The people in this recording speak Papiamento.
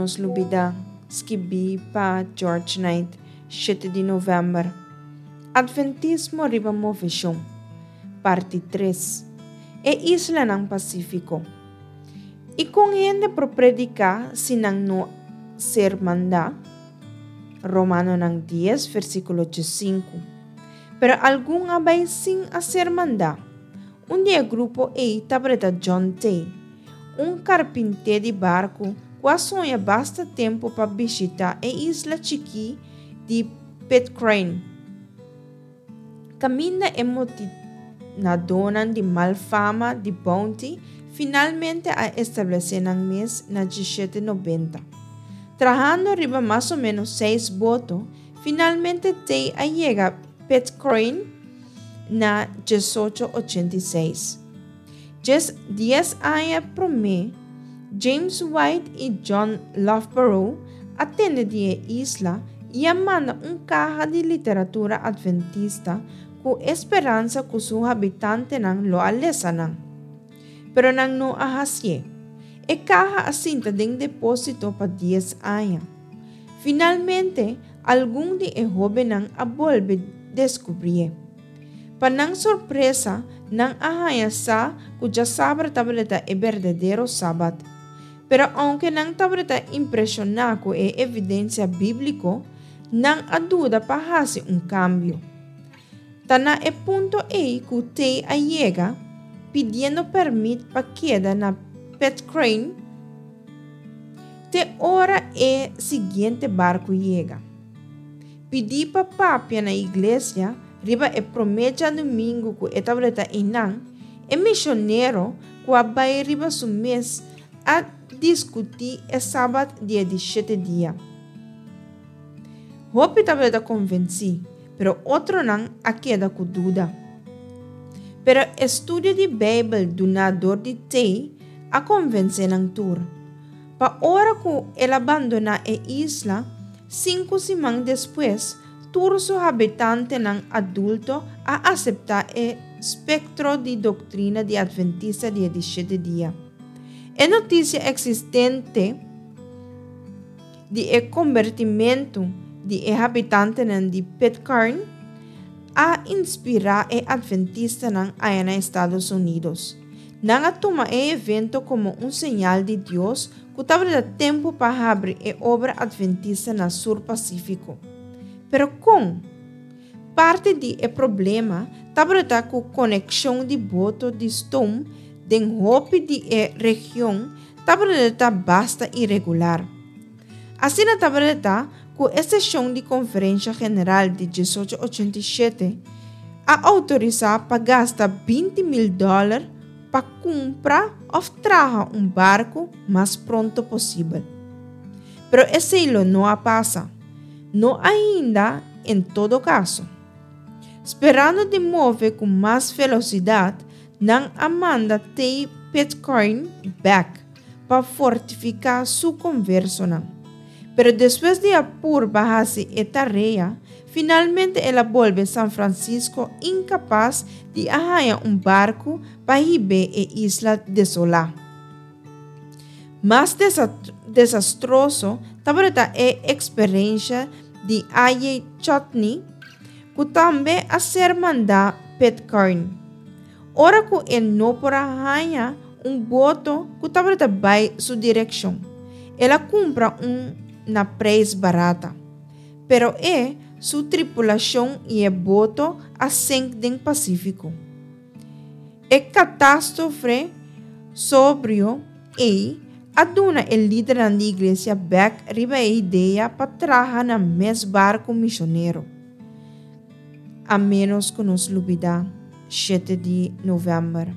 nos lubidá, skibí pa George Knight, shete di novèmber. Atventismo riba moveshon, parti tres. E islanan Pasífiko. I kon hende por prediká si nan no ser mandá? Romanonan dies, versíkulo diesinku. Pero algun a bai sin a ser mandá. Un di e grupo ei tabata John Tay, un karpinté di barku ku a soña basta tempu pa bishitá e isla chikí di Pitcairn, kaminda e motinadónan di mal fama di Bounty finalmente a establesé nan mes na dishete nobenta. Trahando riba mas o ménos seis boto, finalmente Tay a yega Pitcairn na diesocho ochenta i seis. Djes dies aña promé, James White i John Loughborough a tende di e isla i a manda un kaha di literatura adventista ku e speransa ku su habitantenan lo a lesa nan. Pero nan no a hasié. E kaha a sinta den depósito pa dies aña. Finalmente, algun di e hóbennan a bolbe deskubrié. Pa nan sorpresa, nan a haña sa ku djasabra tabata e berdadero Sabat. Pero ounke nan tabata impreshoná ku e evidensia bíbliko, nan a duda pa hasi un kambio. Ta na e punto ei ku Tay a yega, pidiendo pèrmit pa keda na Pitcairn te ora e siguiente barku yega. Pidí pa papia na iglesia riba e promé djadumingu ku e tabata einan, e misionero ku a bai riba su mes a diskutí e Sabat di e di shete dia. Hopi tabata konvensí, pero otronan a keda ku duda. Pero e studio di Beibel duná dor di Tay a konvensé nan tur. Pa ora ku el a bandoná e isla, Sinku siman despues, tur su habitantenan adulto a aseptá e spektro di doktrina di Adventista di e di shete dia. E notisia eksistente di e kombertimentu di e habitantenan di Pitcairn a inspirá e adventistanan aya na Estados Unidos. Nan a tuma e evento komo un señal di Dios ku tabata tempu pa habri e obra adventista na Sur Pasífiko. Pero kon? Parti di e problema tabata ku konekshon di boto di stoom den hopi di e region tabata basta iregular. Asina tabata ku e seshon di Konferensha General di diesocho ochenta i shete a outorisá pa gasta 20.000 dòler pa kumpra òf traha un barku mas pronto posibel. Pero esei lo no a pasa, no ainda en todo kaso. Sperando di move ku mas velosidat, nan a manda Tay Pitcairn bèk pa fortifiká su konversonan. Pero despues di a purba hasi e tarea, finalmente el a bolbe San Francisco inkapas di a haña un barku pa hib'é e isla desolá. Mas desastroso tabata e eksperensha di A.J. Chutney, ku tambe a ser mandá Pitcairn. Ora ku e no por a haña un boto ku tabata bai su direkshon, el a kumpra un na preis barata. Pero e, su tripulashon i e boto a senk den Pasífiko. E katástrofre sobrio ei a duna e lidernan di iglesia bèk riba e idea pa traha nan mes barku mishonero. A ménos ku nos lubidá shete di novèmber.